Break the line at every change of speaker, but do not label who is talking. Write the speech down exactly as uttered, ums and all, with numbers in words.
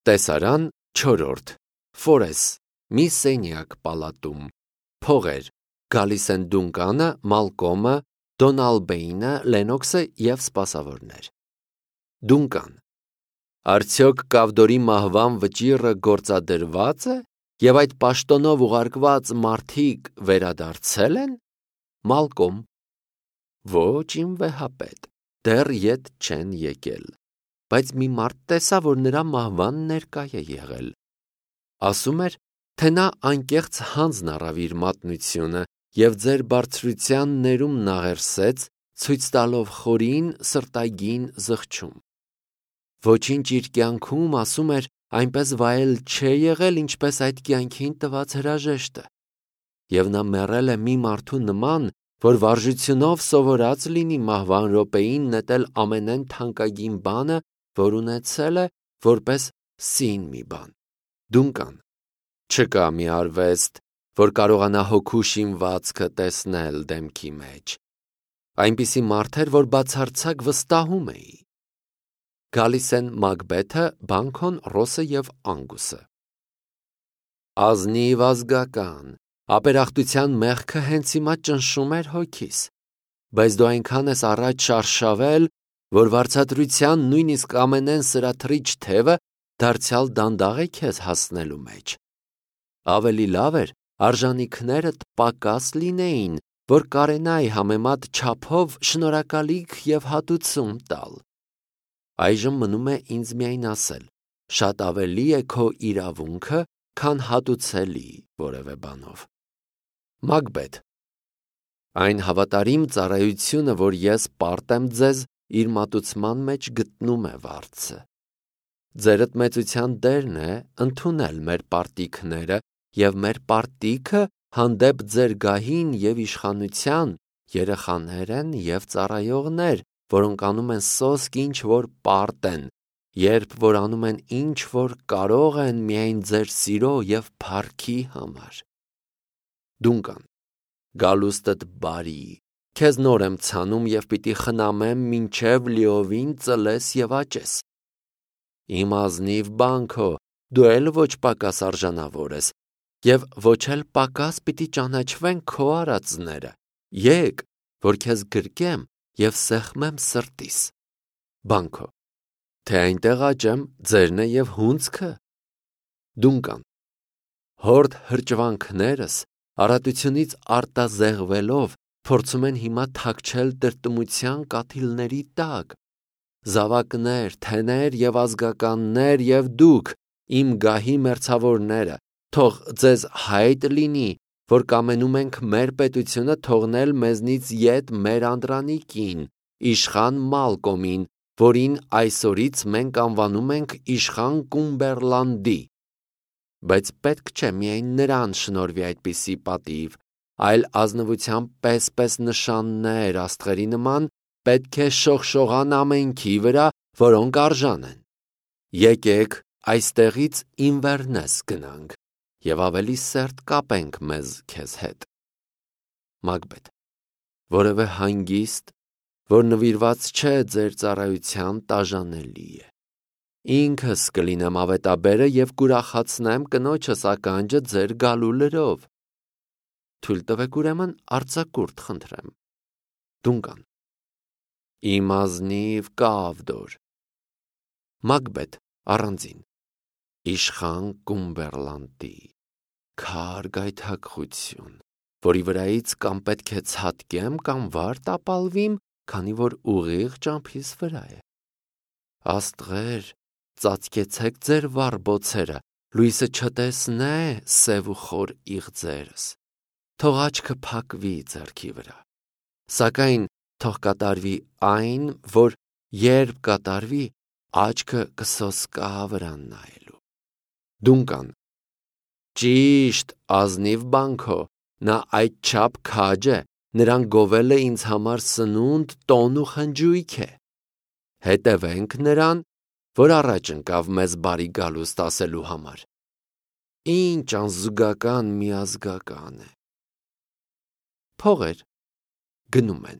Տեսարան չորրորդ Ֆորես մի սենյակ պալատում Փողեր գալիս են Դունկանը, Մալկոմը, Դոնալբեինը, Լենոքսը և սպասավորներ։ Դունկան. Արդյոք Կավդորի մահվան վճիռը գործադրված է և այդ պաշտոնով ուղարկված մարդիկ վերադարձել են։ Մալկոմ. Ոչ իմ վեհապետ, դեռ ետ չեն եկել, բայց մի մարդ տեսա, որ նրա մահվան ներկա է եղել։ Ասում էր, թե նա անկեղծ հանձն առավ իր մատնությունը և ձեր բարձրության ներումն աղերսեց, ցույց տալով խորին սրտագին զղջում։ Ոչինչ իր կյանքում, ասում էր, այնպես վայել չէ եղել, ինչպես այդ կյանքին տված հրաժեշտը։ Եվ նա մեռել է մի մարդու նման, որ վարժությունով սովորած լինի մահվան րոպեին նետել ամենայն թանկագին բանը, որ ունեցել է, որպես սին մի բան։ Դունկան. Չկա մի արվեստ, որ կարողանա հոգու շինվածքը տեսնել դեմքի մեջ։ Այնպիսի մարդ էր, որ բացարձակ վստահում էի։ Գալիս են Մակբեթը, Բանքոն, Ռոսը և Անգուսը։ Ազնիվ ազգական, ապերախտության մեղքը հենց հիմա ճնշում էր հոգիս, բայց դու այնքան ես առաջ շարշավել, որ վարձատրության նույնիսկ ամենեն սրաթրիչ թևը դարձյալ դանդաղ է քեզ հասնելու մեջ։ Ավելի լավ էր արժանիքներդ պակաս լինեին, որ կարենայի համեմատ չափով շնորհակալիք և հատուցում տալ։ Այժմ մնում է ինձ միայն ասել. շատ ավելի է քո իրավունքը, քան հատուցելի որևէ բանով։ Մակբեթ. Այն հավատարիմ ծառայությունը, որ ես պարտ եմ ձեզ, իր մատուցման մեջ գտնում է վարձը։ Ձերդ մեծության դերն է ընդունել մեր պարտիքները և մեր պարտիքը հանդեպ ձեր գահին և իշխանության երեխաներ են և ծառայողներ, որոնք անում են սոսկ ինչ որ պարտ են, երբ որ անում են ինչ որ կարող են միայն ձեր սիրո և փառքի համար։ Դունկան. Գալուստդ բարի, քեզ նոր եմ ցանում և պիտի խնամեմ մինչև լիովին ծլես և աճես։ Իմ ազնիվ Բանքո, դու էլ ոչ պակաս արժանավոր ես, և ոչ էլ պակաս պիտի ճանաչվեն քո արածները։ Եկ, որ քեզ գրկեմ և սեղմեմ սրտիս։ Բանքո. Թե այնտեղ աճեմ, ձերն է և հունձքը։ Դունկան. Հորդ հրճվանքներս առատությունից արտազեղվելով փորձում են հիմա թաքչել տրտմության կաթիլների տակ։ Զավակներ, թեներ և ազգականներ և դուք, իմ գահի մերձավորները, թող ձեզ հայտ լինի, որ կամենում ենք մեր պետությունը թողնել մեզնից ետ մեր անդրանիկին, իշխան Մալկոմին, որին այսօրից մենք անվանում ենք իշխան Կումբերլանդի։ Բայց պետք չէ միայն նրան շնորհվի այդպիսի պատիվ, այլ ազնվությամբ պես-պես նշաններ աստղերի նման պետք է շողշողան ամենքի վրա, որոնք արժան են։ Եկեք այստեղից Ինվերնես գնանք և ավելի սերտ կապենք մեզ քեզ հետ։ Մակբեթ. Որևէ հանգիստ, որ նվիրված չէ ձեր ծառայության տաժանելի է։ Ինքս կլինեմ ավետաբերը և կուրախացնեմ կնոջս ականջը ձեր գալու լրով։ Թույլ տվեք ուրեմն արձակուրդ խնդրեմ։ Դունկան. Իմ ազնիվ Կավդոր։ Մակբեթ առանձին. Իշխան Կումբերլանդի, քար գայթակղություն, որի վրայից կամ պետք է ցատկեմ, կամ վար տապալվիմ, քանի որ ուղիղ ճամփիս վրա է։ Աստղեր, ծածկեցեք ձեր վառ բոցերը, լույսը չտեսնե սև ու խոր իղձերս։ Թող աչքը փակվի ձեռքի վրա, սակայն թող կատարվի այն, որ երբ կատարվի, աչքը կսոսկա վրան նայելու։ Դունկան. Ճիշտ, ազնիվ Բանքո, նա այդչափ քաջ է, նրան գովել է ինձ համար սնունդ, տոն ու խնջույք է։ Հետևենք նրան, որ առաջ ընկավ մեզ բարի գալուստ ասելու համար։ Ինչ անզուգական միազգական է։ Փողեր գնում են։